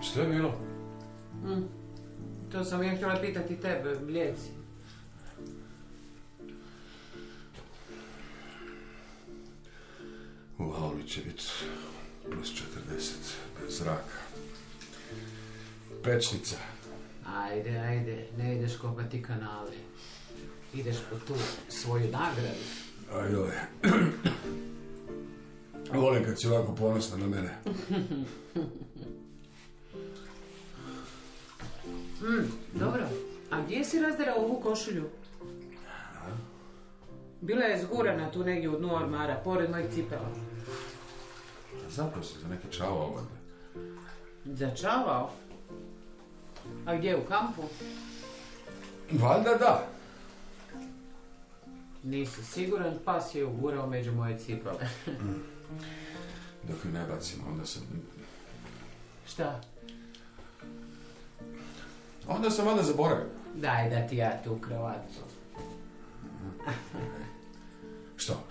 Što je bilo? To sam ja htjela pitati tebe, Mlijeci. U auli će biti plus 40, bez zraka. Pečnica. Ajde, ne ideš kopati kanale. Ideš po tu svoju nagradu. Ajoj. Volim kad si ovako ponosna na mene. Dobro. A gdje si razderao ovu košulju? Bila je zgurana tu negdje u dnu ormara, pored mojih cipela. Zapravo si za neki čavao ovdje. Začavao? A gdje, u kampu? Valjda da. Nisi siguran, pas je ugurao među moje cipele. Dok ju ne bacimo, onda sam... Šta? Onda sam valjda zaboravio. Daj da ti ja tu kravatu. Što?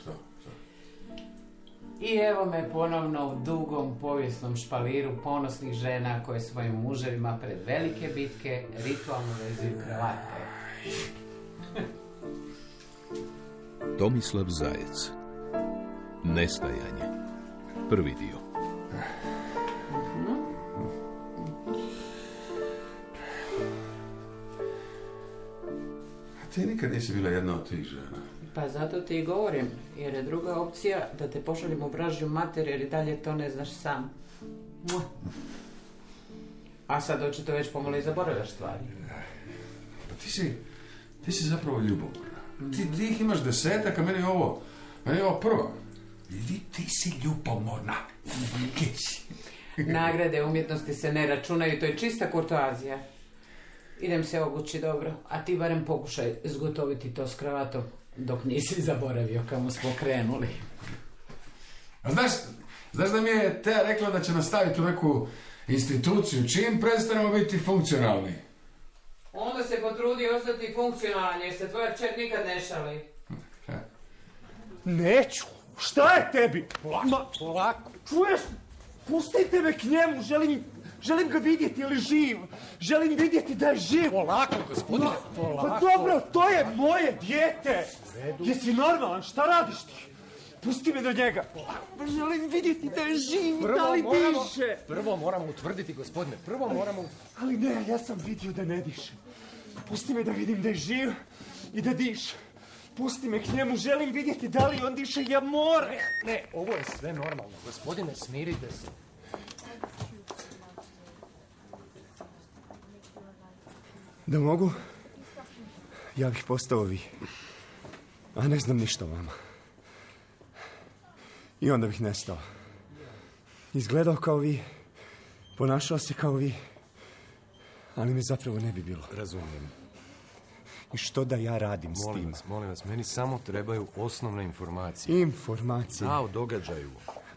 I evo me ponovno u dugom povijesnom špaliru ponosnih žena koje svojim muževima pred velike bitke ritualno vezuju kravate. Tomislav Zajec. Nestajanje. Prvi dio. A ti nikad nisi bila jedna od tih žena. Pa zato ti i govorim, jer je druga opcija da te pošaljemo u vražju mater, jer i dalje to ne znaš sam. A sad očito već pomalo i zaboravljaš stvari. Pa ti si zapravo ljubomorna. Ti ih imaš 10, a meni je ovo prva. Ti si ljubomorna. Nagrade umjetnosti se ne računaju, to je čista kurtoazija. Idem se obući dobro, a ti barem pokušaj zgotoviti to s kravatom dok nisi zaboravio kamo smo krenuli. A znaš da mi je Teja rekla da će nastaviti u neku instituciju čim prestanemo biti funkcionalni? Onda se potrudi ostati funkcionalan jer se tvoja kćer nikad ne šali. Neću! Šta je tebi? Polako. Čuješ? Pustite me k njemu, želim ga vidjeti ili živ. Želim vidjeti da je živ. Polako, gospodine. Pa dobro, to je moje dijete. Jesi normalan? Šta radiš ti? Pusti me do njega. Želim vidjeti da je živ, da li diše. Prvo moramo utvrditi, gospodine. Ali ne, ja sam vidio da ne diše. Pusti me da vidim da je živ i da diše. Pusti me k njemu, želim vidjeti da li on diše, ja moram. Ne, ovo je sve normalno. Gospodine, smirite se. Da mogu, ja bih postao vi. A ne znam ništa o vama. I onda bih nestao. Izgledao kao vi, ponašao se kao vi, ali mi zapravo ne bi bilo. Razumijem. I što da ja radim s tim? Molim vas, meni samo trebaju osnovne informacije. Informacije? Da, o događaju.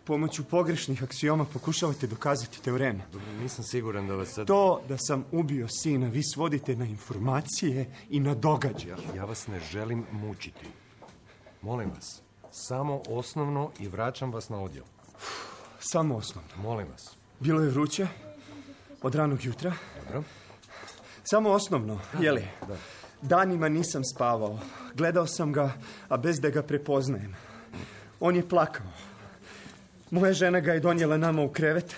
Pomoću pogrešnih aksioma pokušavate dokazati teorem. Dobro, nisam siguran da vas sad... To da sam ubio sina, vi svodite na informacije i na događaje. Ja vas ne želim mučiti. Molim vas, samo osnovno i vraćam vas na odjel. Samo osnovno. Molim vas. Bilo je vruće, od ranog jutra. Dobro. Samo osnovno, jeli? Da. Danima nisam spavao. Gledao sam ga, a bez da ga prepoznajem. On je plakao. Moja žena ga je donijela nama u krevet.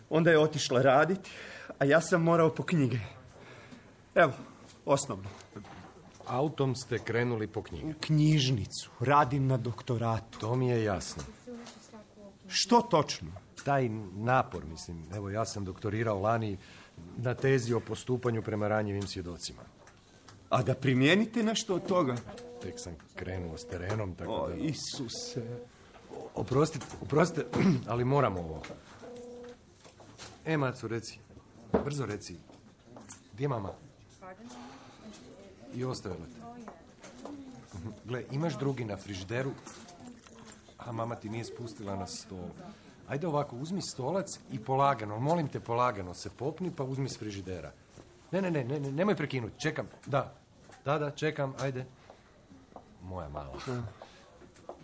Onda je otišla raditi, a ja sam morao po knjige. Evo, osnovno. Autom ste krenuli po knjige. U knjižnicu. Radim na doktoratu. To mi je jasno. Što točno? Taj napor, mislim. Evo, ja sam doktorirao lani na tezi o postupanju prema ranjivim svjedocima. A da primijenite nešto od toga? Tek sam krenuo s terenom, tako o, da... Isuse... Oprostite, ali moramo ovo. Macu, reci. Brzo reci. Gdje je mama? I ostavila te. Gle, imaš drugi na frižideru, a mama ti nije spustila na stol. Ajde ovako, uzmi stolac i polagano, molim te polagano, se popni pa uzmi s frižidera. Ne, nemoj prekinuti, čekam. Da, čekam, ajde. Moja mala.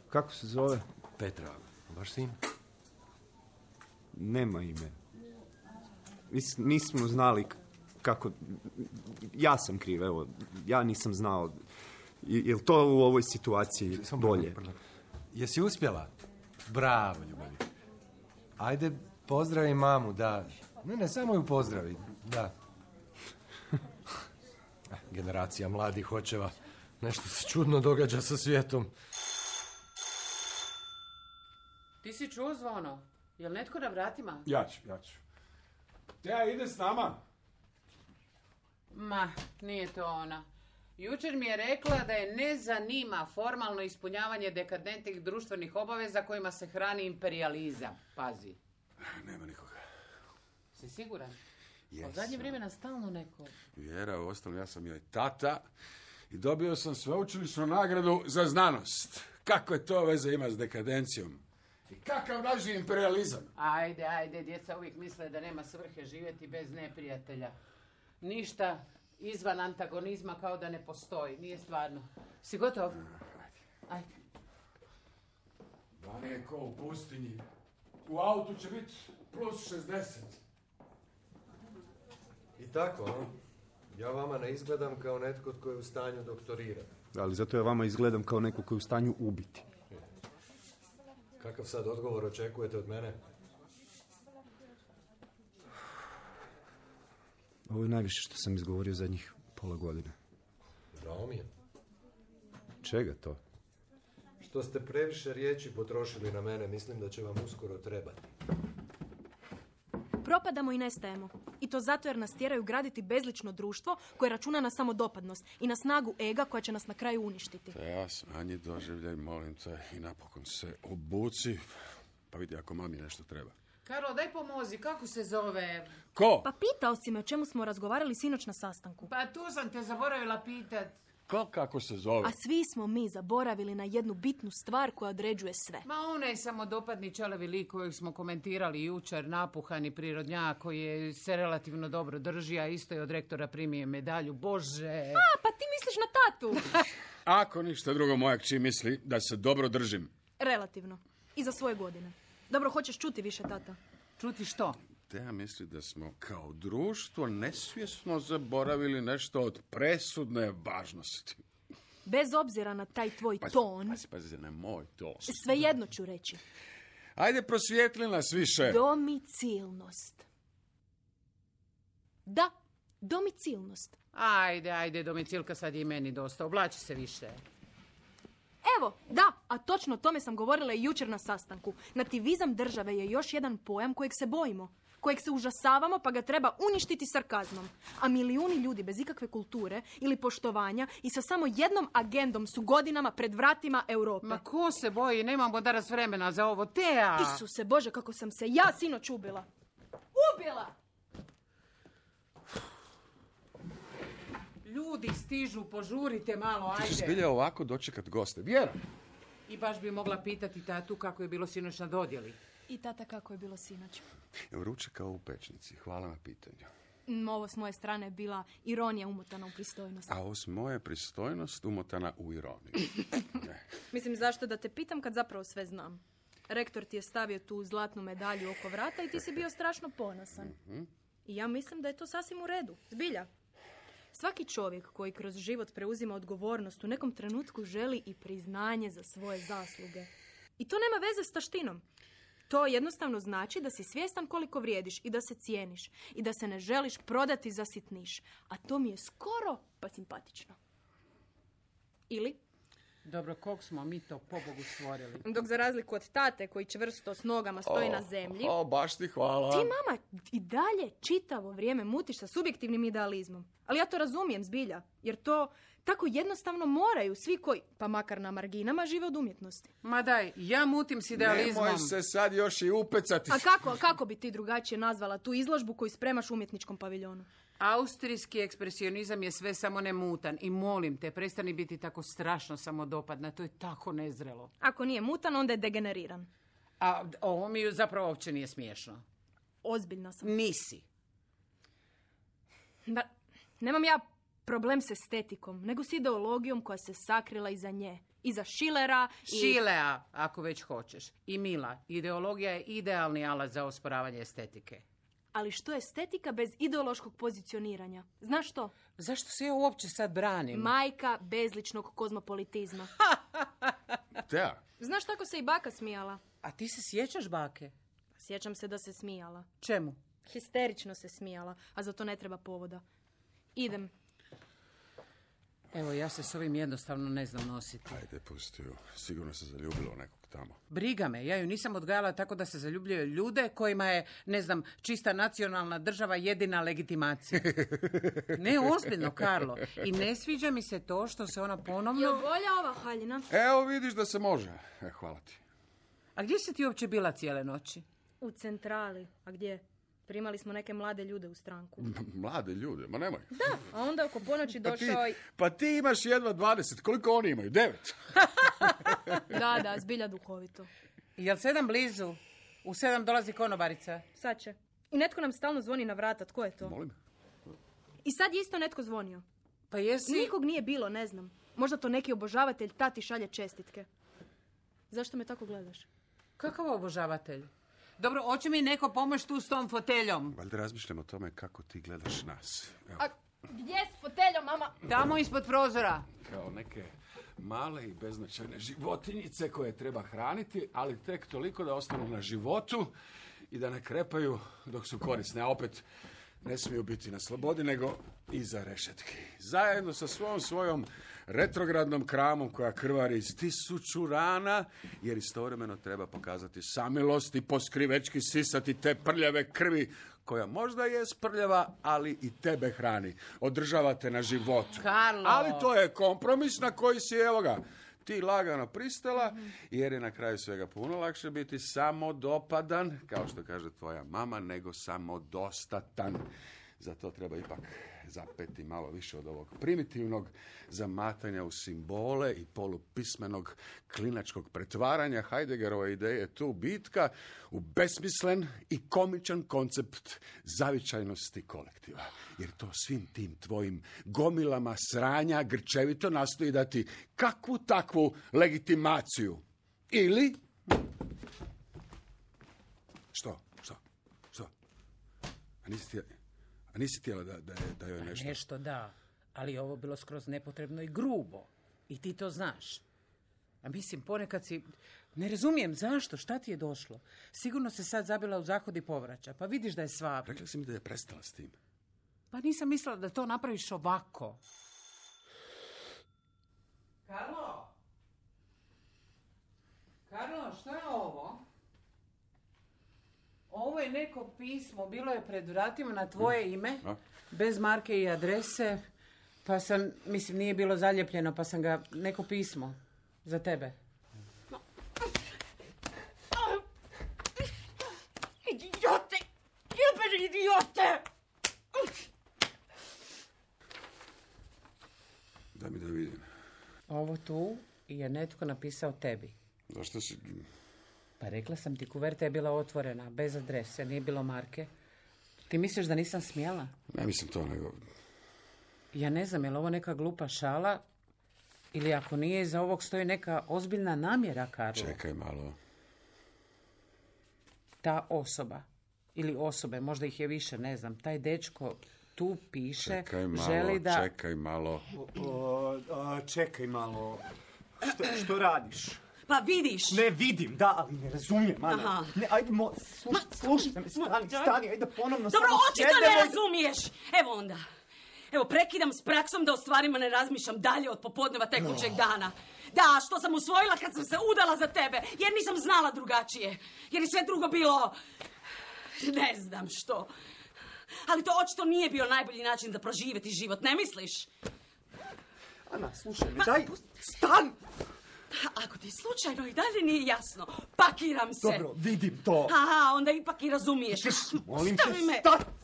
Kako se zove? Petra, vaš sin? Nema ime. Nismo znali kako... Ja sam kriv, evo. Ja nisam znao. Je li to u ovoj situaciji bolje? Jesi uspjela? Bravo, ljubavi. Ajde, pozdravi mamu, da. Ne, samo ju pozdravi, da. Generacija mladih očeva. Nešto se čudno događa sa svijetom. Ti si čuo zvono? Jel netko na vratima? Ja ću. Teja, ide s nama. Ma, nije to ona. Jučer mi je rekla da je ne zanima formalno ispunjavanje dekadentnih društvenih obaveza kojima se hrani imperijalizam. Pazi. Nema nikoga. Si siguran? Jesam. Od zadnje vremena stalno neko. Vjera, uostalom ja sam joj tata i dobio sam sveučilišnu nagradu za znanost. Kako je to veze ima s dekadencijom? I kakav naži imperijalizam? Ajde, djeca uvijek misle da nema svrhe živjeti bez neprijatelja. Ništa izvan antagonizma kao da ne postoji. Nije stvarno. Si gotov? Ajde. Vani je ko u pustinji. U autu će biti plus 60. I tako, a? Ja vama ne izgledam kao netko tko je u stanju doktorirati. Ali zato ja vama izgledam kao neko koji je u stanju ubiti. Kakav sad odgovor očekujete od mene? Ovo je najviše što sam izgovorio zadnjih pola godine. Žao mi je. Čega to? Što ste previše riječi potrošili na mene, mislim da će vam uskoro trebati. Propadamo i nestajemo. I to zato jer nas tjeraju graditi bezlično društvo koje računa na samodopadnost i na snagu ega koja će nas na kraju uništiti. Teja, smanji doživljaj, molim te, i napokon se obuci. Pa vidi ako mami nešto treba. Karlo, daj pomozi, kako se zove? Ko? Pa pitao si me o čemu smo razgovarali sinoć na sastanku. Pa tu sam te zaboravila pitat. Kako se zove? A svi smo mi zaboravili na jednu bitnu stvar koja određuje sve. Ma onaj samodopadni čelevi lik kojeg smo komentirali jučer, napuhani prirodnjak koji se relativno dobro drži, a isto je od rektora primio medalju. Bože! Pa ti misliš na tatu? Ako ništa drugo, moja kći misli da se dobro držim. Relativno. I za svoje godine. Dobro, hoćeš čuti više, tata? Čuti što? Teja misli da smo kao društvo nesvjesno zaboravili nešto od presudne važnosti. Bez obzira na taj tvoj ton, Pazi, ne moj ton. svejedno ću reći. Ajde, prosvijetli nas više. Domicilnost. Da, domicilnost. Ajde, domicilka, sad je i meni dosta. Oblači se više. Evo, da, a točno o tome sam govorila i jučer na sastanku. Nativizam države je još jedan pojam kojeg se bojimo, kojeg se užasavamo pa ga treba uništiti sarkazmom. A milijuni ljudi bez ikakve kulture ili poštovanja i sa samo jednom agendom su godinama pred vratima Europe. Ma ko se boji, nemamo danas vremena za ovo. Teja! Isuse Bože, kako sam se ja sinoć ubila. Ubila! Ljudi stižu, požurite malo, Ti ajde. ćeš zbilja ovako dočekat goste. Vjera! I baš bi mogla pitati tatu kako je bilo sinoć na dodjeli. I tata, kako je bilo sinoć? Vruće kao u pečnici. Hvala na pitanju. Ovo s moje strane je bila ironija umotana u pristojnost. A ovo s moje pristojnost umotana u ironiju. Ne. Mislim, zašto da te pitam kad zapravo sve znam? Rektor ti je stavio tu zlatnu medalju oko vrata i ti si bio strašno ponosan. I ja mislim da je to sasvim u redu. Zbilja. Svaki čovjek koji kroz život preuzima odgovornost u nekom trenutku želi i priznanje za svoje zasluge. I to nema veze s taštinom. To jednostavno znači da si svjestan koliko vrijediš i da se cijeniš i da se ne želiš prodati za sitniš. A to mi je skoro pa simpatično. Ili? Dobro, kog smo mi to pobogu stvorili? Dok za razliku od tate koji čvrsto s nogama stoji na zemlji, Baš ti hvala. ti mama i dalje čitavo vrijeme mutiš sa subjektivnim idealizmom. Ali ja to razumijem zbilja, jer to tako jednostavno moraju svi koji, pa makar na marginama, žive od umjetnosti. Ma daj, ja mutim s idealizmom. Nemoj se sad još i upecati. A kako bi ti drugačije nazvala tu izložbu koju spremaš u umjetničkom paviljonu? Austrijski ekspresionizam je sve samo ne mutan. I molim te, prestani biti tako strašno samodopadna. To je tako nezrelo. Ako nije mutan, onda je degeneriran. A ovo mi zapravo uopće nije smiješno. Ozbiljna sam. Nisi. Da, nemam ja problem s estetikom, nego s ideologijom koja se sakrila iza nje. Iza Schillera i... Šilea, ako već hoćeš. I Mila, ideologija je idealni alat za osporavanje estetike. Ali što je estetika bez ideološkog pozicioniranja? Znaš što? Zašto se ja uopće sad branim? Majka bezličnog kozmopolitizma. Tea, Znaš tako se i baka smijala? A ti se sjećaš bake? Sjećam se da se smijala. Čemu? Histerično se smijala, a za to ne treba povoda. Idem. Evo, ja se s ovim jednostavno ne znam nositi. ajde, pusti ju. Sigurno se zaljubila u nekog tamo. Briga me, ja ju nisam odgajala tako da se zaljubljaju ljude kojima je, ne znam, čista nacionalna država jedina legitimacija. Ne, ozbiljno, Karlo. I ne sviđa mi se to što se ona ponovno... Jel bolja ova haljina? Evo vidiš da se može. Hvala ti. A gdje si ti uopće bila cijele noći? U centrali. A gdje? Primali smo neke mlade ljude u stranku. Mlade ljude, ma nemoj. Da, a onda oko ponoći došao i... Pa ti imaš jedva 20, koliko oni imaju? 9? Da, zbilja duhovito. Jel 7 blizu? U 7 dolazi konobarica. Sad će. I netko nam stalno zvoni na vrata. Tko je to? Molim? I sad je isto netko zvonio. Pa jesi... Nikog nije bilo, ne znam. Možda to neki obožavatelj tati šalje čestitke. Zašto me tako gledaš? Kakav obožavatelj? Dobro, hoće mi neko pomoći tu s tom foteljom? Valjda razmišljam o tome kako ti gledaš nas. Evo, A gdje s foteljom, mama? Tamo ispod prozora. kao neke male i beznačajne životinjice koje treba hraniti, ali tek toliko da ostanu na životu i da ne krepaju dok su korisne. A opet ne smiju biti na slobodi, nego iza rešetki. Zajedno sa svojom retrogradnom kramom koja krvari iz 1000 rana, jer istovremeno treba pokazati samilost i poskrivečki sisati te prljave krvi, koja možda je prljava, ali i tebe hrani. Održava te na životu. Karlo! Ali to je kompromis na koji si, evo ga, ti lagano pristala, jer je na kraju svega puno lakše biti samodopadan, kao što kaže tvoja mama, nego samodostatan. Za to treba ipak zapeti malo više od ovog primitivnog zamatanja u simbole i polupismenog klinačkog pretvaranja Heideggerove ideje je tu bitka u besmislen i komičan koncept zavičajnosti kolektiva. Jer to svim tim tvojim gomilama sranja grčevito nastoji dati kakvu takvu legitimaciju. Ili... Što? A nisi htjela da joj nešto... Nešto da, ali ovo bilo skroz nepotrebno i grubo. I ti to znaš. A mislim, ponekad si... Ne razumijem zašto, šta ti je došlo? Sigurno se sad zabila u zahod i povraća, pa vidiš da je svab. Rekla si mi da je prestala s tim. Pa nisam mislila da to napraviš ovako. Karlo, šta je ovo? Ovo je neko pismo, bilo je pred vratima na tvoje ime, bez marke i adrese, pa sam, mislim, nije bilo zaljepljeno, pa sam ga, neko pismo, za tebe. Idiote! Jebeni idiote! Daj mi da vidim. Ovo tu je netko napisao tebi. Zašto si... Pa rekla sam ti, kuverta je bila otvorena, bez adrese, nije bilo marke. Ti misliš da nisam smjela? Ne mislim to, nego... Ja ne znam, je li ovo neka glupa šala ili ako nije, iza ovog stoji neka ozbiljna namjera, Karlo. Čekaj malo. Ta osoba ili osobe, možda ih je više, ne znam, taj dečko tu piše, želi da... Čekaj malo. Čekaj malo. Što radiš? Pa vidiš. Ne vidim, da, ali ne razumijem, Ana. Aha. Ne, ajde, slušaj me, stani, ajde ponovno Dobro, samo očito ne razumiješ. Evo onda. Evo, prekidam s praksom da o stvarima ne razmišljam dalje od popodneva tekućeg dana. Da, što sam usvojila kad sam se udala za tebe, jer nisam znala drugačije. Jer je sve drugo bilo... Ne znam što. Ali to očito nije bio najbolji način za proživjeti život, ne misliš? Ana, slušaj me, daj, stan! Ako ti slučajno i dalje nije jasno, pakiram se. Dobro, vidim to. Aha, onda ipak i razumiješ. Molim te, Stavi me.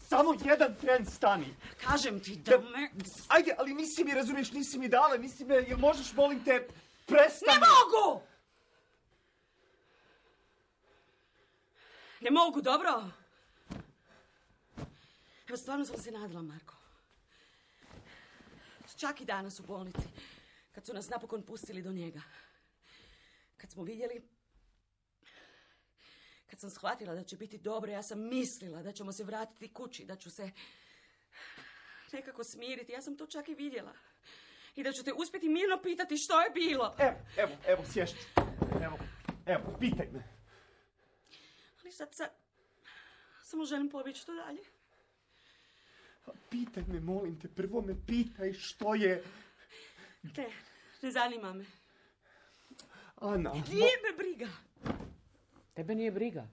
samo jedan tren stani. Kažem ti da me... Ajde, ali nisi mi, razumiješ, nisi mi dala, nisi me, jel možeš, molim te, prestani. Ne mogu! Ne mogu, dobro? Evo, stvarno sam se nadala, Marko. Čak i danas u bolnici, kad su nas napokon pustili do njega. Kad smo vidjeli Kad sam shvatila da će biti dobro, ja sam mislila da ćemo se vratiti kući, da ću se nekako smiriti. Ja sam to čak i vidjela. I da ću te uspjeti mirno pitati što je bilo. Evo, sješću. Evo, pitaj me. Ali sad samo želim pobjeći to dalje. Pitaj me, molim te, prvo me pitaj što je... Ne zanima me. Ana... Nije me briga. Tebe nije briga.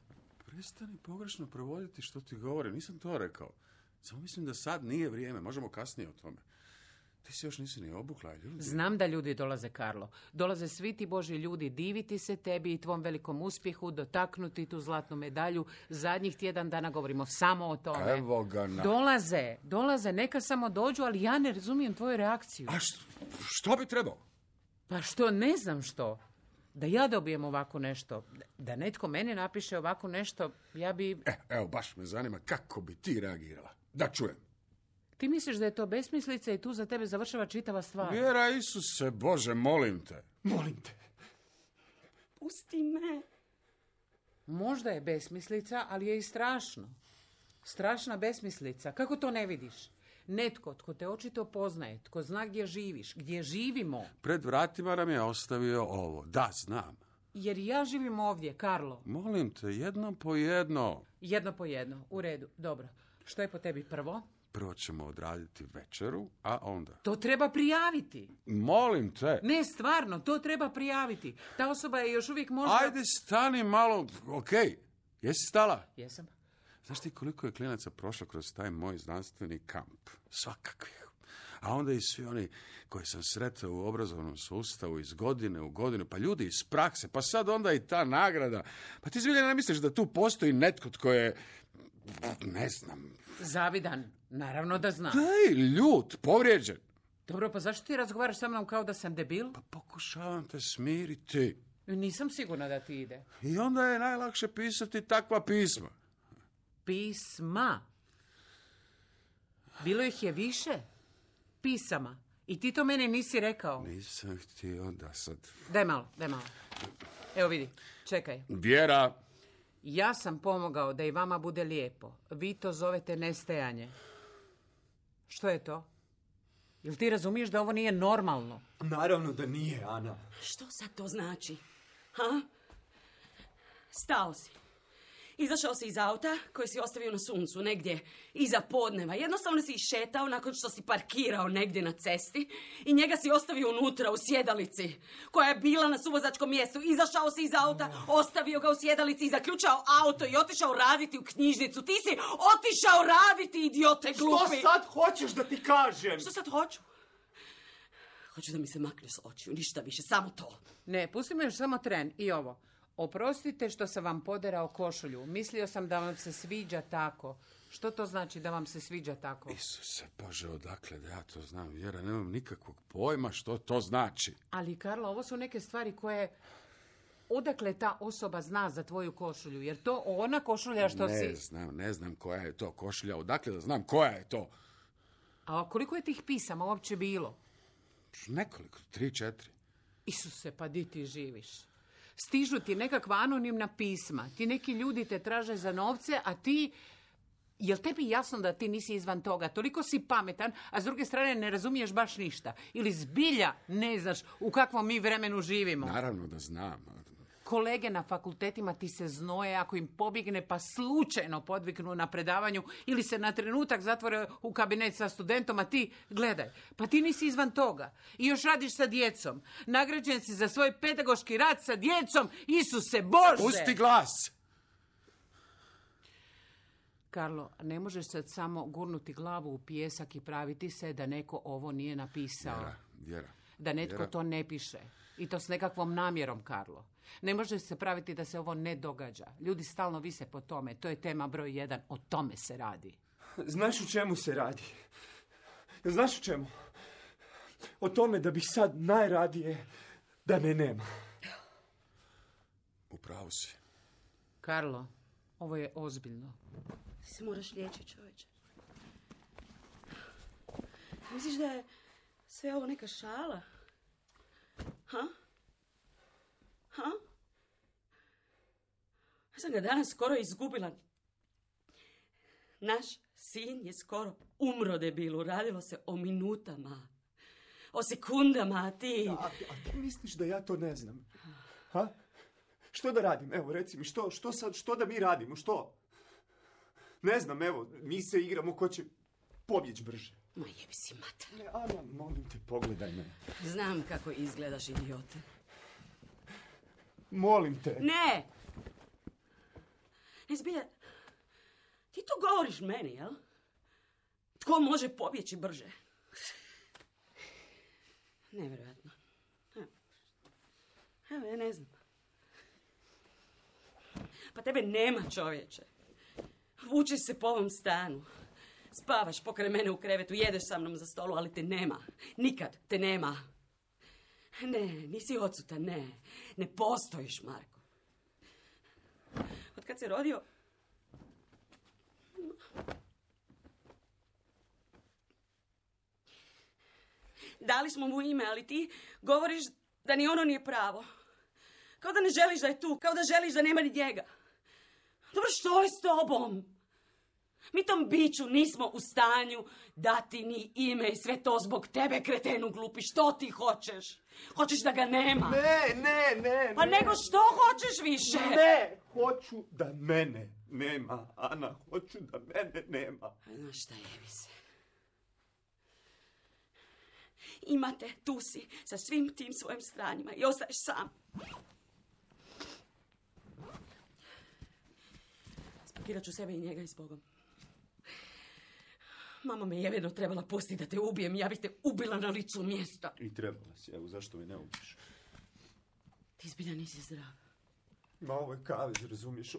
Prestani pogrešno prevoditi što ti govore. Nisam to rekao. Samo mislim da sad nije vrijeme. Možemo kasnije o tome. Ti se još nisi ni obukla, ljudi. Znam da ljudi dolaze, Karlo. Dolaze svi ti Božji ljudi diviti se tebi i tvom velikom uspjehu, dotaknuti tu zlatnu medalju. Zadnjih tjedan dana govorimo samo o tome. Evo ga na... Dolaze, neka samo dođu, ali ja ne razumijem tvoju reakciju. A što bi trebao? Pa što, ne znam što. Da ja dobijem ovako nešto, da netko meni napiše ovako nešto, ja bi... Evo, baš me zanima kako bi ti reagirala. Da čujem. Ti misliš da je to besmislica i tu za tebe završava čitava stvar? Vjera Isuse, Bože, molim te. Molim te. Pusti me. Možda je besmislica, ali je i strašno. Strašna besmislica. Kako to ne vidiš? Netko tko te očito poznaje, tko zna gdje živiš, gdje živimo. Pred vratima nam je ostavio ovo. Da, znam. Jer ja živim ovdje, Karlo. Molim te, jedno po jedno. Jedno po jedno. U redu. Dobro. Što je po tebi prvo? Prvo ćemo odraditi večeru, a onda... To treba prijaviti. Molim te. Ne, stvarno, to treba prijaviti. Ta osoba je još uvijek možda... Ajde, stani malo. Okej. Jesi stala? Jesam. Znaš ti koliko je klinaca prošlo kroz taj moj znanstveni kamp? Svakakvih. A onda i svi oni koji sam sretao u obrazovnom sustavu iz godine u godinu, pa ljudi iz prakse, pa sad onda i ta nagrada. Pa ti zbilja ne misliš da tu postoji netko tko je, ne znam... Zavidan. Naravno da znam. Daj, ljut, povrijeđen. Dobro, pa zašto ti razgovaraš sa mnom kao da sam debil? Pa pokušavam te smiriti. Nisam sigurna da ti ide. I onda je najlakše pisati takva pisma. Pisma. Bilo ih je više. Pisama. I ti to meni nisi rekao. Nisam htio da sad... Daj malo. Evo vidi, čekaj. Vjera. Ja sam pomogao da i vama bude lijepo. Vi to zovete nestajanje. Što je to? Jel ti razumiješ da ovo nije normalno? Naravno da nije, Ana. Što sad to znači? Ha? Stao si. Izašao si iz auta koji si ostavio na suncu, negdje iza podneva. Jednostavno si išetao nakon što si parkirao negdje na cesti i njega si ostavio unutra u sjedalici koja je bila na suvozačkom mjestu. Izašao si iz auta, ostavio ga u sjedalici i zaključao auto i otišao raditi u knjižnicu. Ti si otišao raditi, idiote glupi! Što sad hoćeš da ti kažem? Što sad hoću? Hoću da mi se makneš s očiju, ništa više, samo to. Ne, pusti me još samo tren i ovo. Oprostite što sam vam poderao košulju. Mislio sam da vam se sviđa tako. Što to znači da vam se sviđa tako? Isuse Bože, odakle da ja to znam? Vjera, nemam nikakvog pojma što to znači. Ali, Karlo, ovo su neke stvari koje... Odakle ta osoba zna za tvoju košulju? Jer to ona košulja što si... Ne znam koja je to košulja. Odakle da znam koja je to? A koliko je tih pisama uopće bilo? Nekoliko, 3-4. Isuse, pa di ti živiš? Stižu ti nekakva anonimna pisma. Ti neki ljudi te traže za novce, a ti... Jel tebi jasno da ti nisi izvan toga? Toliko si pametan, a s druge strane ne razumiješ baš ništa. Ili zbilja ne znaš u kakvom mi vremenu živimo. Naravno da znam. Kolege na fakultetima ti se znoje ako im pobjegne pa slučajno podviknu na predavanju ili se na trenutak zatvore u kabinet sa studentom, a ti, gledaj, pa ti nisi izvan toga. I još radiš sa djecom. Nagrađen si za svoj pedagoški rad sa djecom. Isuse Bože! Pusti glas! Karlo, ne možeš sad samo gurnuti glavu u pijesak i praviti se da neko ovo nije napisao. Vjera. Da netko to ne piše. I to s nekakvom namjerom, Karlo. Ne može se praviti da se ovo ne događa. Ljudi stalno vise po tome. To je tema broj 1. O tome se radi. Znaš u čemu se radi? Znaš u čemu? O tome da bih sad najradije da me nema. Upravo si. Karlo, ovo je ozbiljno. Ti se moraš liječiti, čovječe. Misliš da je sve ovo neka šala? Ha? sam ga danas skoro izgubila. Naš sin je skoro umro, debilu. Radilo se o minutama. O sekundama, a ti... A ti misliš da ja to ne znam? Ha? Što da radim? Evo, reci mi, što da mi radimo? Što? Ne znam, evo, mi se igramo ko će pobjeći brže. Ma jebi si mater. Ne, Ana, molim te, pogledaj me. Znam kako izgledaš, idiote. Molim te. Ne! Ne, zbilja, ti to govoriš meni, jel? Tko može pobjeći brže? Nevjerojatno. Evo, ja ne znam. Pa tebe nema, čovječe. Vučeš se po ovom stanu. Spavaš pokraj mene u krevetu, jedeš sa mnom za stolu, ali te nema. Nikad te nema. Ne, nisi odsutan, ne. Ne postojiš, Marko. Od kad se rodio... Dali smo mu ime, ali ti govoriš da ni ono nije pravo. Kao da ne želiš da je tu, kao da želiš da nema ni njega. Dobro, što je s tobom? Mi tom biću nismo u stanju dati ni ime i sve to zbog tebe, kretenu glupi. Što ti hoćeš? Hoćeš da ga nema? Ne. Pa nego što hoćeš više? Ne, hoću da mene nema, Ana. Hoću da mene nema. Znaš šta, jebi se. Imate, tu si, sa svim tim svojim stranjima i ostaješ sam. Spakirat ću sebe i njega i s Bogom. Mama me jeveno trebala pustiti da te ubijem, ja bih te ubila na licu mjesta. I trebala si, evo, zašto me ne ubiš? Ti zbilja nisi zdrav. Ma, ovo je kavez, razumiješ?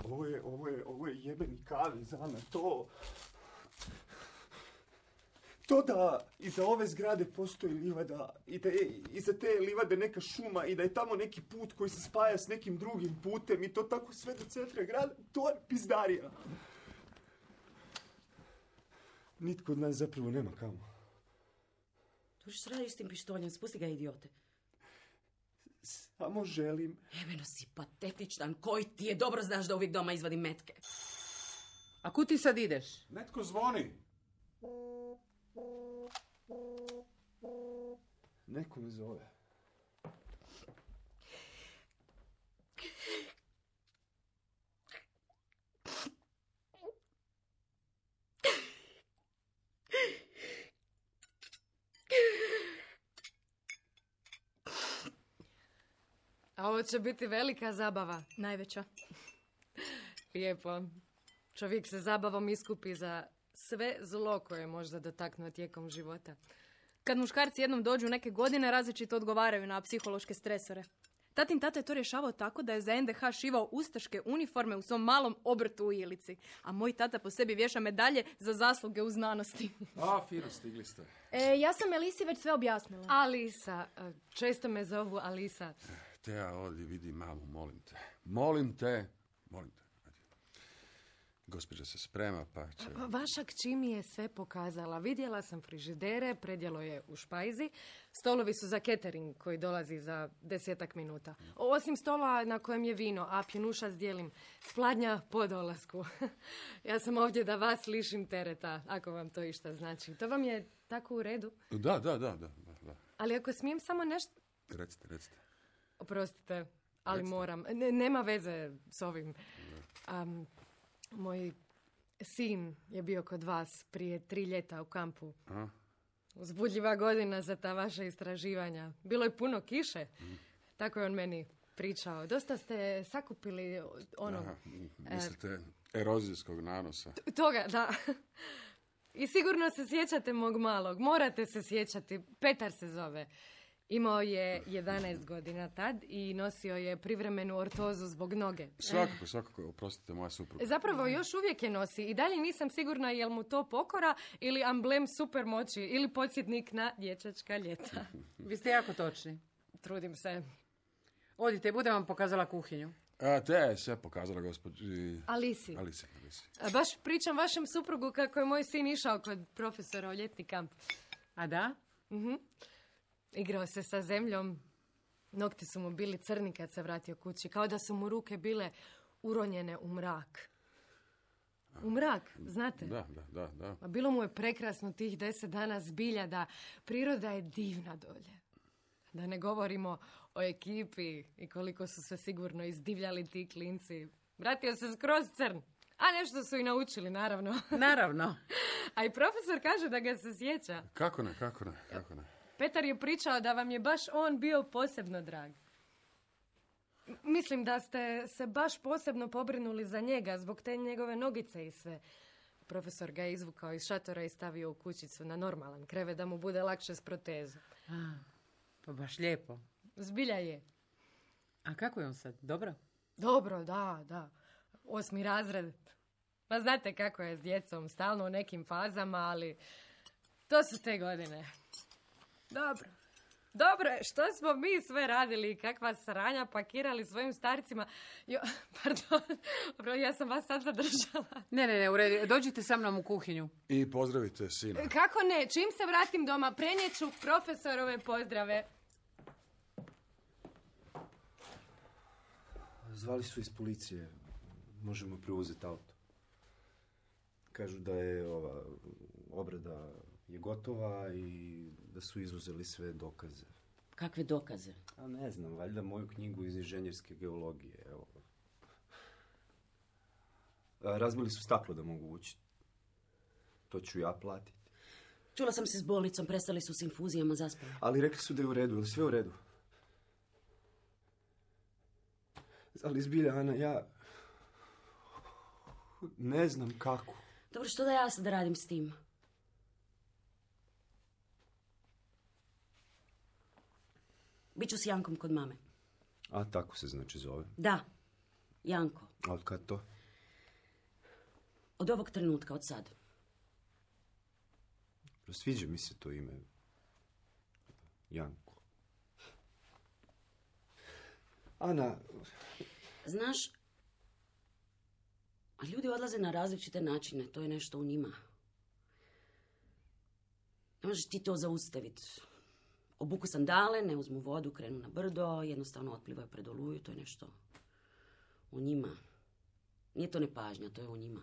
Ovo je jebeni kavez, Ana, to... To da iza ove zgrade postoji livada i da je iza te livade neka šuma i da je tamo neki put koji se spaja s nekim drugim putem i to tako sve do centra grada, to je pizdarija. Nitko od nas zapravo nema kamo. To što radiš s tim pištoljem, spusti ga, idiote. Samo želim... Jebeno si patetičan, koji ti je, dobro znaš da uvijek doma izvadim metke. A kud ti sad ideš? Netko zvoni. Neko me zove. A ovo će biti velika zabava. Najveća. Lijepo. Čovjek se zabavom iskupi za sve zlo koje je možda dotaknuo tijekom života. Kad muškarci jednom dođu neke godine, različito odgovaraju na psihološke stresore. Tatin tata je to rješavao tako da je za NDH šivao ustaške uniforme u svom malom obrtu u Ilici. A moj tata po sebi vješa medalje za zasluge u znanosti. A, fino, stigli ste. Ja sam Elisi već sve objasnila. Alisa. Često me zovu Alisa. Teja, ovdje vidi mamu, molim te. Gospođa se sprema, pa će... Vaša kći mi je sve pokazala. Vidjela sam frižidere, predjelo je u špajzi. Stolovi su za catering koji dolazi za 10 minuta. Osim stola na kojem je vino, a pjenuša dijelim s Pladnja po dolasku. Ja sam ovdje da vas lišim tereta, ako vam to išta znači. To vam je tako u redu? Da. Ali ako smijem samo nešto... Recite. Oprostite, ali Recite. moram. Nema veze s ovim. Moj sin je bio kod vas prije 3 ljeta u kampu. A? Uzbudljiva godina za ta vaša istraživanja. Bilo je puno kiše. Tako je on meni pričao. Dosta ste sakupili ono... Aha, mislite erozijskog nanosa. Toga, da. I sigurno se sjećate mog malog. Morate se sjećati. Petar se zove. Imao je 11 godina tad i nosio je privremenu ortozu zbog noge. Svakako, oprostite, moja supruga. Zapravo još uvijek je nosi i dalje nisam sigurna jel mu to pokora ili amblem supermoći ili podsjetnik na dječačka ljeta. Vi ste jako točni. Trudim se. Odite, budem vam pokazala kuhinju. Teja je sve pokazala gospođi... Alisi. Baš pričam vašem suprugu kako je moj sin išao kod profesora u ljetni kamp. A da? Igrao se sa zemljom. Nokti su mu bili crni kad se vratio kući. Kao da su mu ruke bile uronjene u mrak. U mrak, znate? Da. A bilo mu je prekrasno tih 10 dana, zbilja, da priroda je divna dolje. Da ne govorimo o ekipi i koliko su se sigurno izdivljali ti klinci. Vratio se skroz crn. A nešto su i naučili, naravno. Naravno. A i profesor kaže da ga se sjeća. Kako ne. Petar je pričao da vam je baš on bio posebno drag. Mislim da ste se baš posebno pobrinuli za njega zbog te njegove nogice i sve. Profesor ga je izvukao iz šatora i stavio u kućicu na normalan krevet da mu bude lakše s protezom. Pa baš lijepo. Zbilja je. A kako je on sad? Dobro? Dobro, da. 8. razred. Pa znate kako je s djecom, stalno u nekim fazama, ali to su te godine. Dobro je, što smo mi sve radili i kakva sranja pakirali svojim starcima. Pardon, ja sam vas sad zadržala. Ne, u redu. Dođite sa mnom u kuhinju. I pozdravite sina. Kako ne, čim se vratim doma, prenijeću profesorove pozdrave. Zvali su iz policije. Možemo preuzeti auto. Kažu da je obrada je gotova i da su izuzeli sve dokaze. Kakve dokaze? A ne znam, valjda moju knjigu iz inženjerske geologije. Evo. Razbili su staklo da mogu učiti. To ću ja platiti. Čula sam se s bolnicom, prestali su s infuzijama, zaspali. Ali rekli su da je u redu, ili sve u redu? Ali zbilja, Ana, ja ne znam kako. Dobro, što da ja sad radim s tim? Biću s Jankom kod mame. A tako se znači zove? Da, Janko. A od kad to? Od ovog trenutka, od sad. Sviđa mi se to ime. Janko. Ana... Znaš, ljudi odlaze na različite načine, to je nešto u njima. Ne možeš ti to zaustaviti. Obuku sandale, ne uzmu vodu, krenu na brdo, jednostavno otplivaju pred oluju, to je nešto u njima. Nije to nepažnja, to je u njima.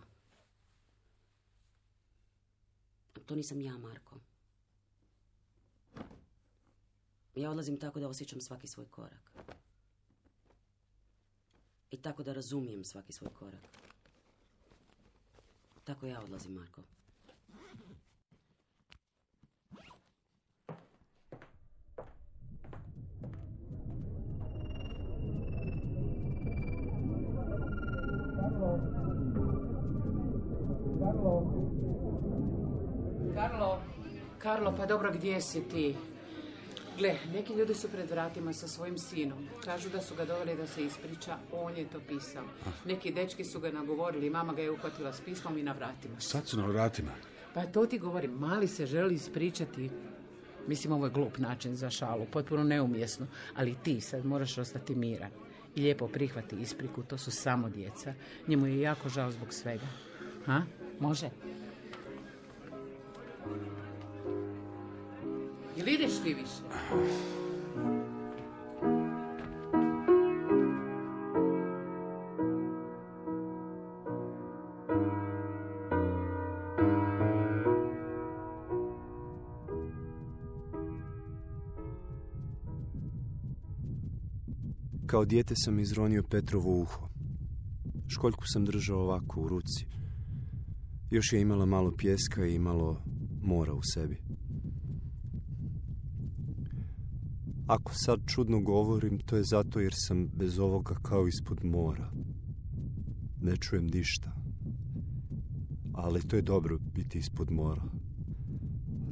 A to nisam ja, Marko. Ja odlazim tako da osjećam svaki svoj korak. I tako da razumijem svaki svoj korak. Tako ja odlazim, Marko. Karlo, pa dobro, gdje si ti? Gle, neki ljudi su pred vratima sa svojim sinom. Kažu da su ga doveli da se ispriča, on je to pisao. Neki dečki su ga nagovorili, mama ga je uhvatila s pismom i na vratima. Sad su na vratima? Pa to ti govorim, mali se želi ispričati. Mislim, ovo je glup način za šalu, potpuno neumjesno. Ali ti sad moraš ostati miran. I lijepo prihvati ispriku, to su samo djeca. Njemu je jako žao zbog svega. Ha? Može? Jel ideš ti više? Kao dijete sam izronio Petrovo uho. Školjku sam držao ovako u ruci. Još je imala malo pijeska i malo mora u sebi. Ako sad čudno govorim, to je zato jer sam bez ovoga kao ispod mora. Ne čujem ništa. Ali to je dobro biti ispod mora.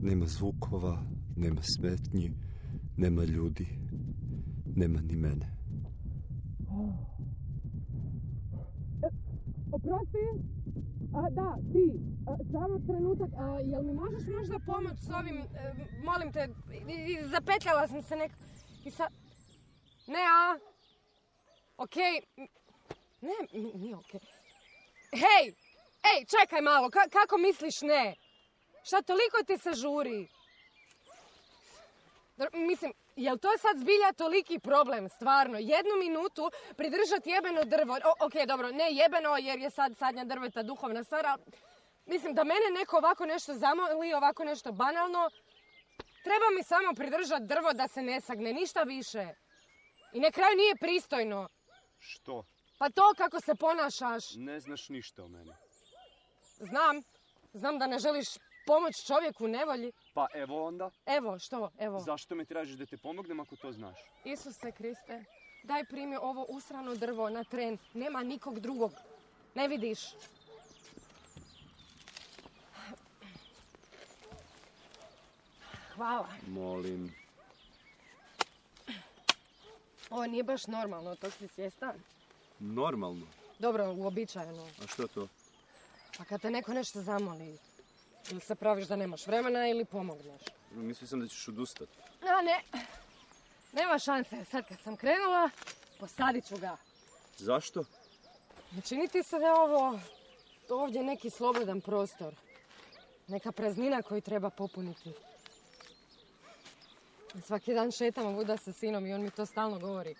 Nema zvukova, nema smetnji, nema ljudi, nema ni mene. Oprosti? Da, ti. Samo trenutak. Jel mi možeš možda pomoći s ovim? Molim te, zapetljala sam se nekako. Ne, a? Okej. Ne, nije okej. Hej, čekaj malo. Kako misliš ne? Šta toliko ti se žuri? Mislim, jel to sad zbilja toliki problem, stvarno? 1 minutu pridržati jebeno drvo. Ok, dobro, ne jebeno jer je sad sadnja drveta duhovna stvar, ali mislim da mene neko ovako nešto zamoli, ovako nešto banalno, treba mi samo pridržati drvo da se ne sagne, ništa više. I na kraju nije pristojno. Što? Pa to kako se ponašaš. Ne znaš ništa o meni. Znam da ne želiš pomoć čovjeku u nevolji. Pa evo onda. Evo, što? Evo. Zašto me tražiš da te pomognem ako to znaš? Isuse Kriste, daj primi ovo usrano drvo na tren. Nema nikog drugog. Ne vidiš? Hvala. Molim. Ovo nije baš normalno, to si svjestan? Normalno? Dobro, uobičajeno. A što to? Pa kad te neko nešto zamoli, ili se praviš da nemaš vremena ili pomogneš. Mislio sam da ćeš odustati. A ne, nema šanse. Sad kad sam krenula, posadit ću ga. Zašto? Ne čini ti se da je ovo ovdje neki slobodan prostor. Neka praznina koju treba popuniti. Svaki dan šetam ovuda sa sinom i on mi to stalno govori.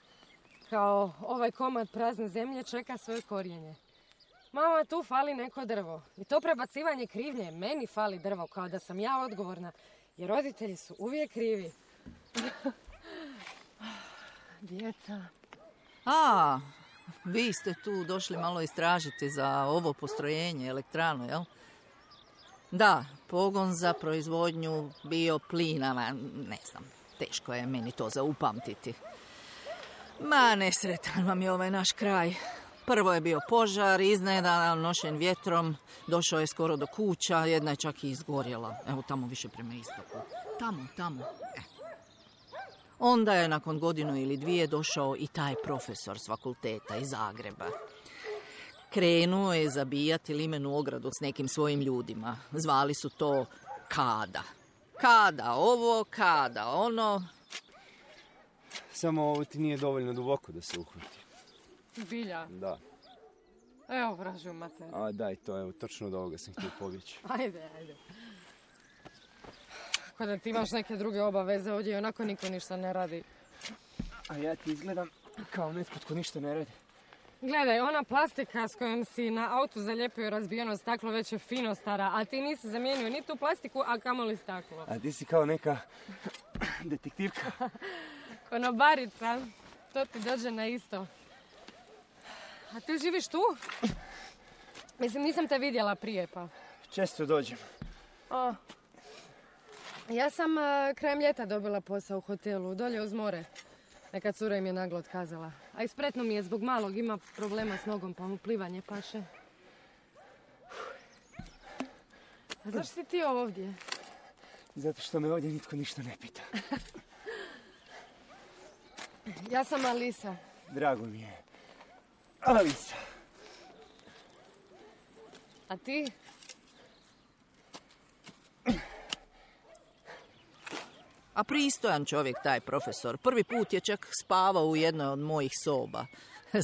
Kao ovaj komad prazne zemlje čeka svoje korijenje. Mama, tu fali neko drvo. I to prebacivanje krivnje, meni fali drvo, kao da sam ja odgovorna. Jer roditelji su uvijek krivi. Djeca. A, vi ste tu došli malo istražiti za ovo postrojenje, elektranu, jel? Da, pogon za proizvodnju bioplina, ne znam, teško je meni to zaupamtiti. Ma, nesretan vam je ovaj naš kraj. Prvo je bio požar, iznenada nošen vjetrom, došao je skoro do kuća, jedna je čak i izgorjela. Evo tamo više prema istoku. Tamo. Onda je nakon 1 ili 2 došao i taj profesor s fakulteta iz Zagreba. Krenuo je zabijati limenu ogradu s nekim svojim ljudima. Zvali su to Kada. Kada ovo, Kada ono. Samo ovo ti nije dovoljno duboko da se uhvati. Bilja? Da. Evo, vražu mater. A daj to, evo, točno od ovoga sam htio pobjeći. Ajde. Ako da ti imaš neke druge obaveze, ovdje onako niko ništa ne radi. A ja ti izgledam kao netko tko ništa ne radi. Gledaj, ona plastika s kojom si na autu zalijepio razbijeno staklo već je fino stara, a ti nisi zamijenio ni tu plastiku, a kamoli staklo. A ti si kao neka detektivka. Konobarica, to ti dođe na isto. A ti živiš tu? Mislim, nisam te vidjela prije, pa. Često dođem. O, ja sam krajem ljeta dobila posao u hotelu, dolje uz more. Neka cura im je naglo otkazala. A ispretno mi je zbog malog, ima problema s nogom, pa mu plivanje paše. A zašto si ti ovdje? Zato što me ovdje nitko ništa ne pita. Ja sam Alisa. Drago mi je. Alisa. A ti? A pristojan čovjek taj profesor. Prvi put je čak spavao u jednoj od mojih soba.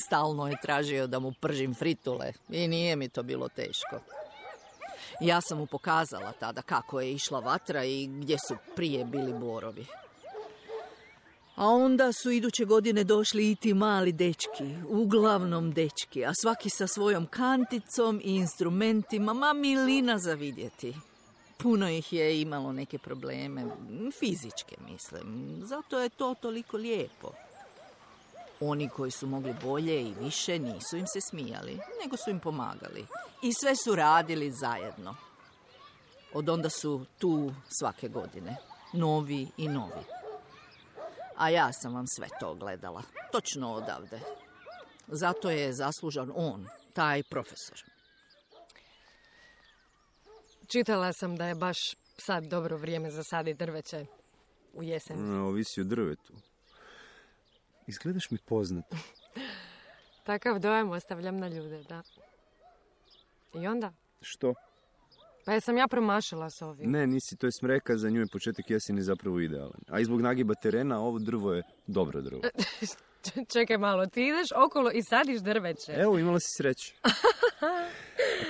Stalno je tražio da mu pržim fritule i nije mi to bilo teško. Ja sam mu pokazala tada kako je išla vatra i gdje su prije bili borovi. A onda su iduće godine došli i ti mali dečki, uglavnom dečki, a svaki sa svojom kanticom i instrumentima, ma milina za vidjeti. Puno ih je imalo neke probleme, fizičke mislim, zato je to toliko lijepo. Oni koji su mogli bolje i više nisu im se smijali, nego su im pomagali. I sve su radili zajedno. Od onda su tu svake godine, novi i novi. A ja sam vam sve to gledala, točno odavde. Zato je zaslužan on, taj profesor. Čitala sam da je baš sad dobro vrijeme za saditi drveće u jesen. Ovisi o drvetu. Izgledaš mi poznato. Takav dojam ostavljam na ljude, da. I onda? Što? Pa jesam ja promašila s ovim. Ne, nisi, to je smreka, za nju je početak jeseni zapravo idealan. A i zbog nagiba terena, ovo drvo je dobro drvo. Čekaj malo, ti ideš okolo i sadiš drveće. Evo, imala si sreće.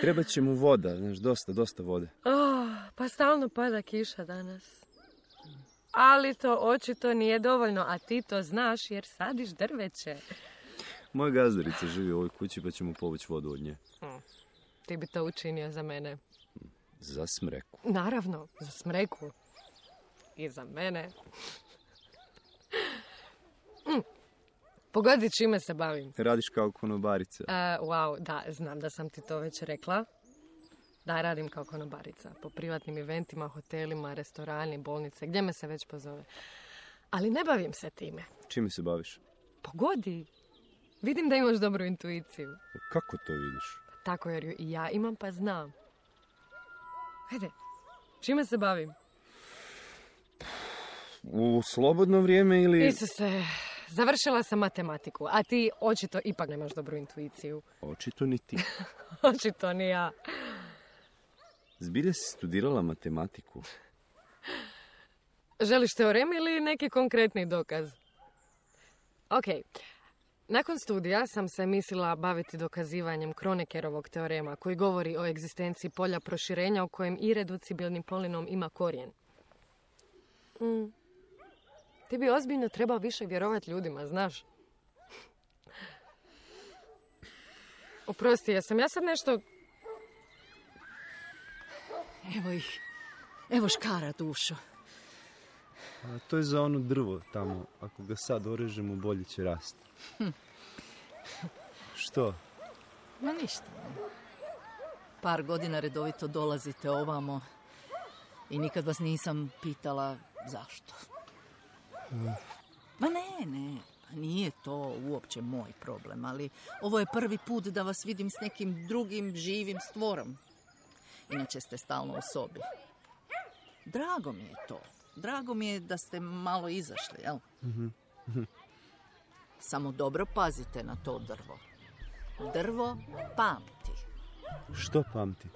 Treba će mu voda, znaš, dosta vode. Pa stalno pada kiša danas. Ali to očito nije dovoljno, a ti to znaš jer sadiš drveće. Moja gazdarica živi u ovoj kući pa ćemo povući vodu od nje. Ti bi to učinio za mene. Za smreku. Naravno, za smreku. I za mene. Pogodi čime se bavim. Radiš kao konobarica. Wow, da, znam da sam ti to već rekla. Da, radim kao konobarica. Po privatnim eventima, hotelima, restorani, bolnice, gdje me se već pozove. Ali ne bavim se time. Čime se baviš? Pogodi. Vidim da imaš dobru intuiciju. Kako to vidiš? Tako jer ju i ja imam pa znam. Hajde, čime se bavim? U slobodno vrijeme ili... Isuse, završila sam matematiku, a ti očito ipak nemaš dobru intuiciju. Očito ni ti. Očito ni ja. Zbilja si studirala matematiku? Želiš teorem ili neki konkretni dokaz? Ok. Nakon studija sam se mislila baviti dokazivanjem Kronekerovog teorema koji govori o egzistenciji polja proširenja u kojem ireducibilni polinom ima korijen. Ti bi ozbiljno trebao više vjerovati ljudima, znaš? Oprosti, jesam ja sad nešto... Evo ih. Evo škara, dušo. A to je za ono drvo tamo. Ako ga sad orežemo, bolje će rasti. Što? Ma ništa. Par godina redovito dolazite ovamo i nikad vas nisam pitala zašto. Ma ne, nije to uopće moj problem, ali ovo je prvi put da vas vidim s nekim drugim živim stvorom. Inače ste stalno u sobi. Drago mi je to. Drago mi je da ste malo izašli, jel? Samo dobro pazite na to drvo. Drvo pamti. Što pamti?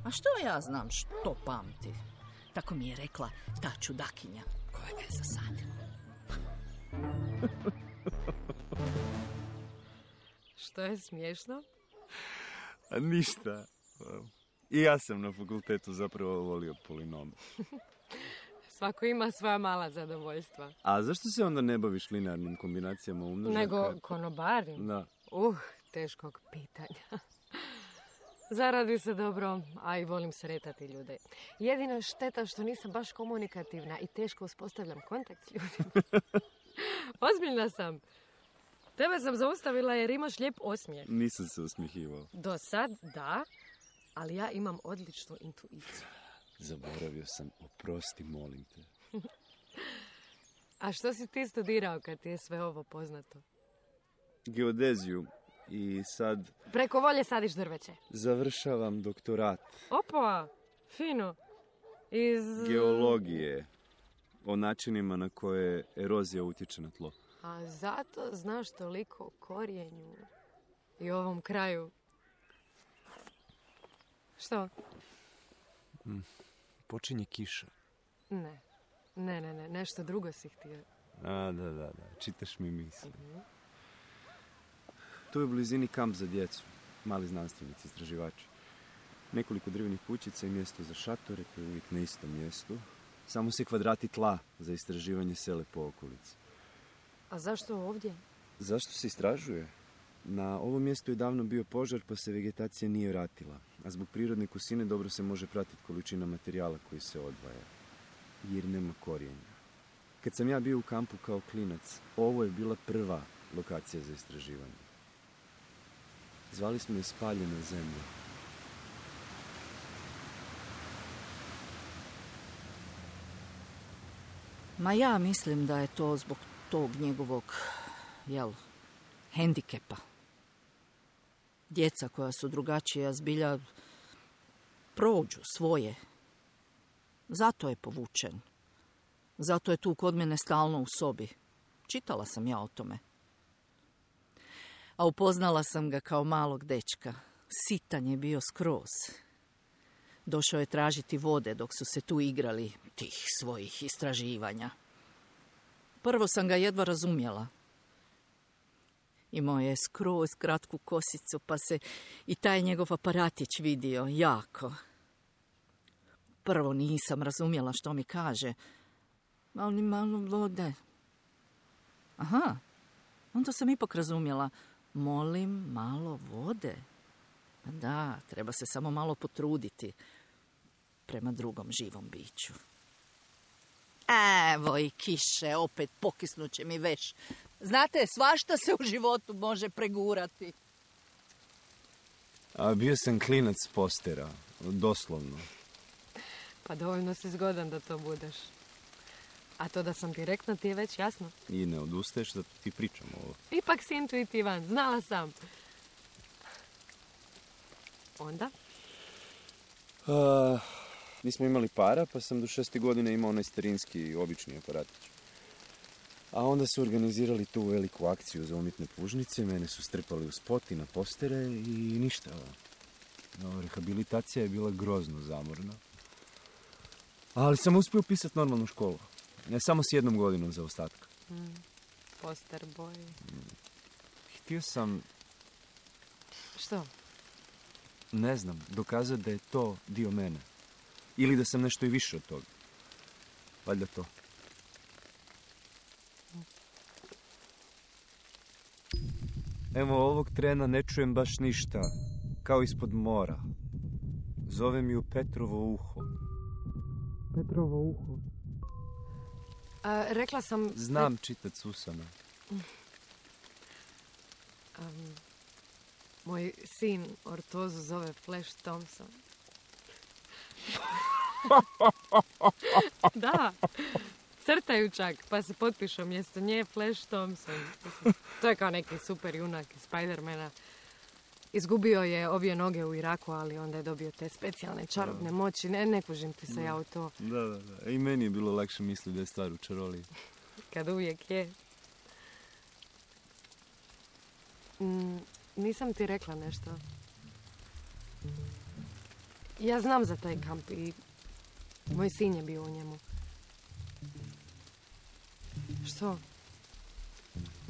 A što ja znam što pamti? Tako mi je rekla ta čudakinja koja ga je zasadila. Što je smiješno? A ništa. I ja sam na fakultetu zapravo volio polinom. Svako ima svoja mala zadovoljstva. A zašto se onda ne baviš linearnim kombinacijama umnožaka? Nego konobarim? Da. Teškog pitanja. Zaradi se dobro, a i volim sretati ljude. Jedina šteta što nisam baš komunikativna i teško uspostavljam kontakt s ljudima. Ozbiljna sam. Tebe sam zaustavila jer imaš lijep osmijeh. Nisam se usmihivao. Do sad da, ali ja imam odličnu intuiciju. Zaboravio sam, oprosti, molim te. A što si ti studirao kad ti je sve ovo poznato? Geodeziju i sad... Preko volje sadiš drveće. Završavam doktorat. Opa, fino. Iz... Geologije. O načinima na koje erozija utječe na tlo. A zato znaš toliko o korijenju i ovom kraju. Što? Počinje kiša. Ne, nešto drugo si htio. A, da, čitaš mi misli. Tu je u blizini kamp za djecu, mali znanstvenici, istraživači. Nekoliko drvenih kućica i mjesto za šatore, to je uvijek na istom mjestu. Samo se kvadrati tla za istraživanje sele po okolici. A zašto ovdje? Zašto se istražuje? Na ovom mjestu je davno bio požar pa se vegetacija nije vratila. A zbog prirodne kusine dobro se može pratiti količina materijala koji se odvaja. Jer nema korijenja. Kad sam ja bio u kampu kao klinac, ovo je bila prva lokacija za istraživanje. Zvali smo je Spaljena zemlja. Ma ja mislim da je to zbog tog njegovog, hendikepa. Djeca koja su drugačija zbilja prođu svoje. Zato je povučen. Zato je tu kod mene stalno u sobi. Čitala sam ja o tome. A upoznala sam ga kao malog dečka. Sitan je bio skroz. Došao je tražiti vode dok su se tu igrali tih svojih istraživanja. Prvo sam ga jedva razumjela. Imao je skroz kratku kosicu, pa se i taj njegov aparatić vidio jako. Prvo nisam razumjela što mi kaže, Ali malo vode. Aha, onda sam ipak razumjela. Molim malo vode. Da, treba se samo malo potruditi prema drugom živom biću. Evo i kiše, opet pokisnuće mi veš. Znate, svašta se u životu može pregurati. A bio sam klinac s postera, doslovno. Pa dovoljno si zgodan da to budeš. A to da sam direktno ti je već jasno. I ne odustaješ da ti pričam ovo. Ipak si intuitivan, znala sam. Onda? Nismo imali para, pa sam do 6. godine imao onaj starinski, obični aparatić. A onda su organizirali tu veliku akciju za umjetne pužnice, mene su strpali u spot i na postere i ništa. Rehabilitacija je bila grozno zamorna. Ali sam uspio upisati normalnu školu. Ne samo s 1 godinom zaostatka. Poster boy. Htio sam... Što? Ne znam, dokazati da je to dio mene. Ili da sam nešto i više od toga. Valjda to. Evo, ovog trena ne čujem baš ništa. Kao ispod mora. Zove mi u Petrovo uho. Petrovo uho? Rekla sam... Znam čitat s usana. Moj sin ortozu zove Flash Thompson. Da, crtaju čak, pa se potpišu mjesto nje Flash Thompson. To je kao neki super junak iz Spidermana. Izgubio je obje noge u Iraku, ali onda je dobio te specijalne čarobne moći. Ne kužim ti se ja u to. Da. I meni je bilo lakše misliti da je stvar u čaroliji. Kad uvijek je. Nisam ti rekla nešto. Ja znam za taj kamp i moj sin je bio u njemu. Što?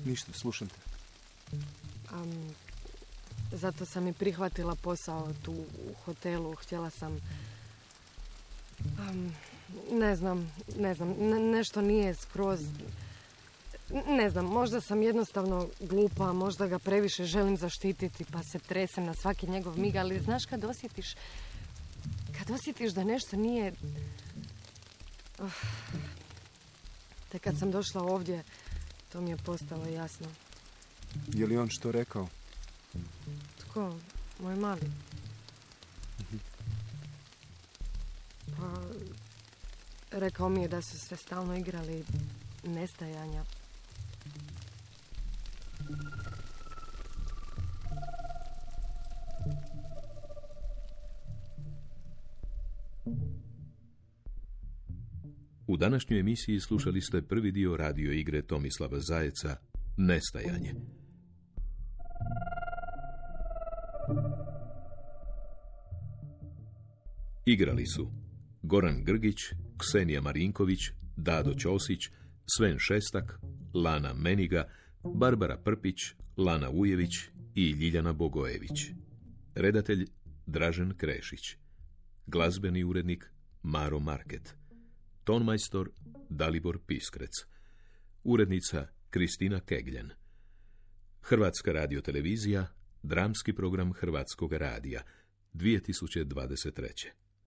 Ništa, slušam te. Zato sam i prihvatila posao tu u hotelu. Htjela sam... Ne znam, nešto nije skroz... Ne znam, možda sam jednostavno glupa, možda ga previše želim zaštititi, pa se tresem na svaki njegov mig, ali znaš kad osjetiš da nešto nije... Te kad sam došla ovdje, to mi je postalo jasno. Je li on što rekao? Tko? Moj mali. Pa, rekao mi je da su se stalno igrali nestajanja. U današnjoj emisiji slušali ste prvi dio radio igre Tomislava Zajeca Nestajanje. Igrali su Goran Grgić, Ksenija Marinković, Dado Ćosić, Sven Šestak, Lana Meniga, Barbara Prpić, Lana Ujević i Ljiljana Bogojević. Redatelj Dražen Krešić. Glazbeni urednik Maro Market. Tonmajstor Dalibor Piskrec. Urednica Kristina Kegljen. Hrvatska radiotelevizija, dramski program Hrvatskog radija, 2023.